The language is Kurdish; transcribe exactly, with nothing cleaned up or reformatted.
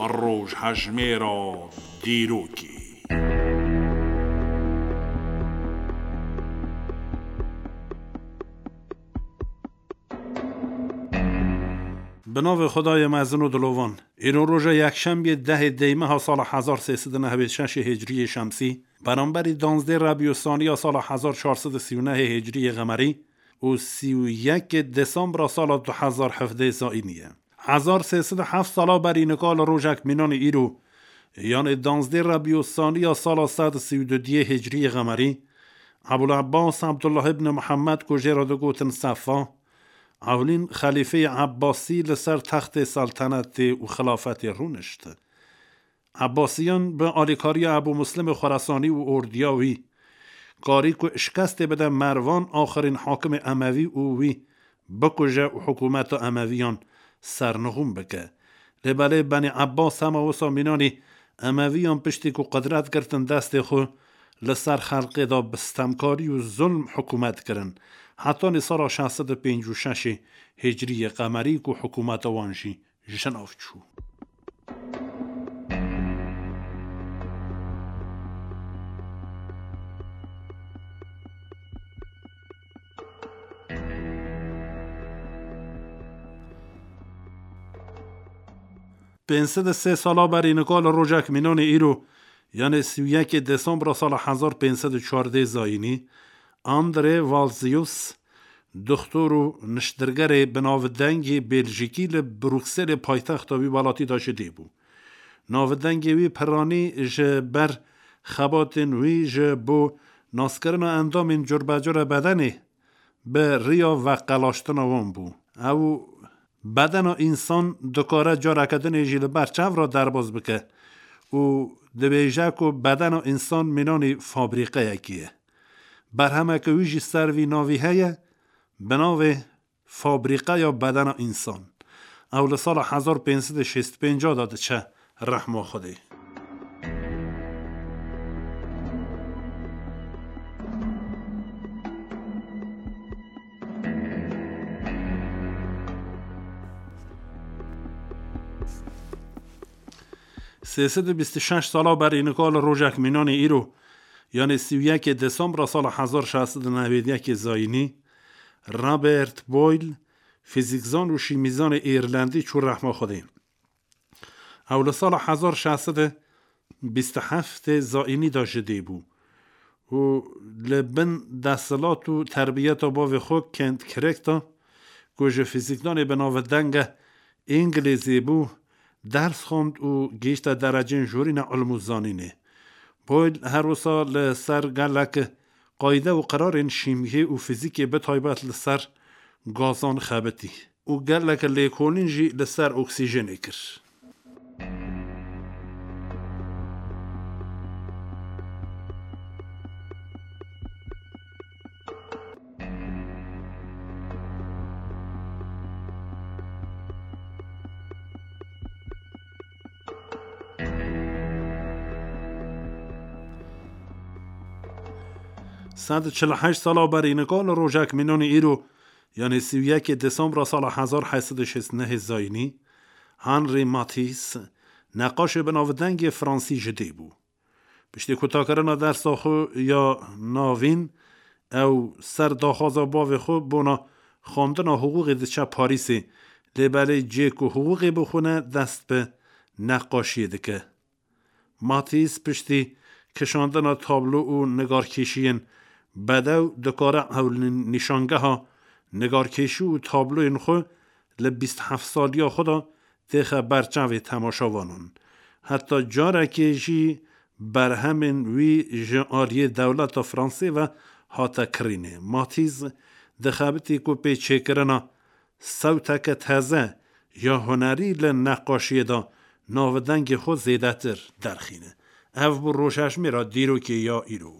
Rojhejmêra dîrokê. Bi navê Xwedayê mezin û dilovan. Îro roja yekşembiyê dehê Deymeha sala hezar sê sed û nehwêd şeşê Hicriyê Şemsî, beramberî danzdê Rebî û Saniya sala hezar çar sed û sî û nehê Hicriyê Qemerî û sî û yekê Desembra sala du hezar hevdeh Zayînî ye. Hezar sê sed û heft sala berî nika li rojek mînanê îro, yanê danzdê Rebî û Saniya sala sed û sî û du diyê Hicriyê Qemerî, Ebûl Ebbas Ebdullah ibn Muhammed ku jê re digotin Sefa, ewlîn xelîfeyê Ebbasî li ser textê seltenetê û xilafetê rûnişt. Ebbasiyan bi alîkariya Ebû Muslimê Xweresanî û ordiya wî karî ku şikestê bide Mervan, axirîn hakimê Emevî, û wî bikuje û hikûmeta Emeviyan sernixûm bike. Lê belê Benî Ebbas hema wisa mînanî Emeviyan piştî ku qudret girtin destê xwe, li ser xelkê de bi stemkarî û zulm hikûmet kirin. Hetanî sala şeş sed û pêncî û şeşê Hicriyê Qemerî ku hikûmeta wan jî ji nav çû. Pênc sed û sê sala berî nika li rojek mînanê îro, yanê sî û yekê Desembra sala hezar pênc sed û çardeh Zayînî, André Valsius, doktor û niştirgerê bi navdengê Bêljikî li Brukselê paytexta wî welatî de ji dê bû. Navdengê wî piranî ji ber xebatên wî ji bo naskirina endamên curbecure bedenê bi riya veqelaştina wan bû. Ew bedena însan dikare careke dinê jî li ber çav re derbas bike û dibêje ku bedena însan mînanî fabrîqeyekê ye. Berhemeke wî jî ser vî navî heye, bi navê Fabrîqeya Bedena Însan. Ew li sala hezar pênc sed û şêst û pênc de diçe rehma Xwedê. Sê sed û bîst û şeş sala berî nika li rojek mînanê îro, yanê sî û yekê Desembra sala hezar şeş sed û newêd yekê Zayînî, Robert Boyle, fîzîkzan û şîmîzanê Îrlendî çû rehma Xwedê. Ew li sala hezar şeş sed û bîst û heftê Zayînî de ji dê bû û li bin desthilat û terbiyeta bavê xwe Kent Kirek de, ku ji fîzîkdanê bi navdenge Îngilîzê bû, ders xwend û gihîşte derecên jorîna ilm û zanînê. Boyle her wisa li ser gelek qayde û qirarên şîmyê û fîzîkê, bi taybet li ser gazan xebitî û gelek lêkolîn jî li ser oksîjenê kir. Sed û çil û heşt sala berî nika li rojek mînanê îro, yanê sî û yekê Desembra sala hezar heyt sed û şêst û nehê Zayînî, Henri Matisse, neqaşê bi navdengê Fransî ji dê bû. Piştî kutakirina dersa xwe ya navîn, ew ser daxwaza bavê xwe bona xwendina hiqûqê diçe Parîsê, lê belê cihê ku hiqûqê bixwine dest bi neqaşiyê dike. Matisse piştî kişandina tablo û nigarkêşiyên bedew dikare ew li nîşangeha nigarkêşî û tabloyên xwe li bîst heft saliya xwe de têxe ber çavê temaşevanan. Heta carekê jî berhemên wî ji aliyê dewleta Fransê ve hate kirînê. Matisse dixebitî ku pê çêkirina sewteke teze ya hunerî li neqaşiyê de navdengê xwe zêdetir derxîne. Ev bû rojhejmêra dîrokê ya îro.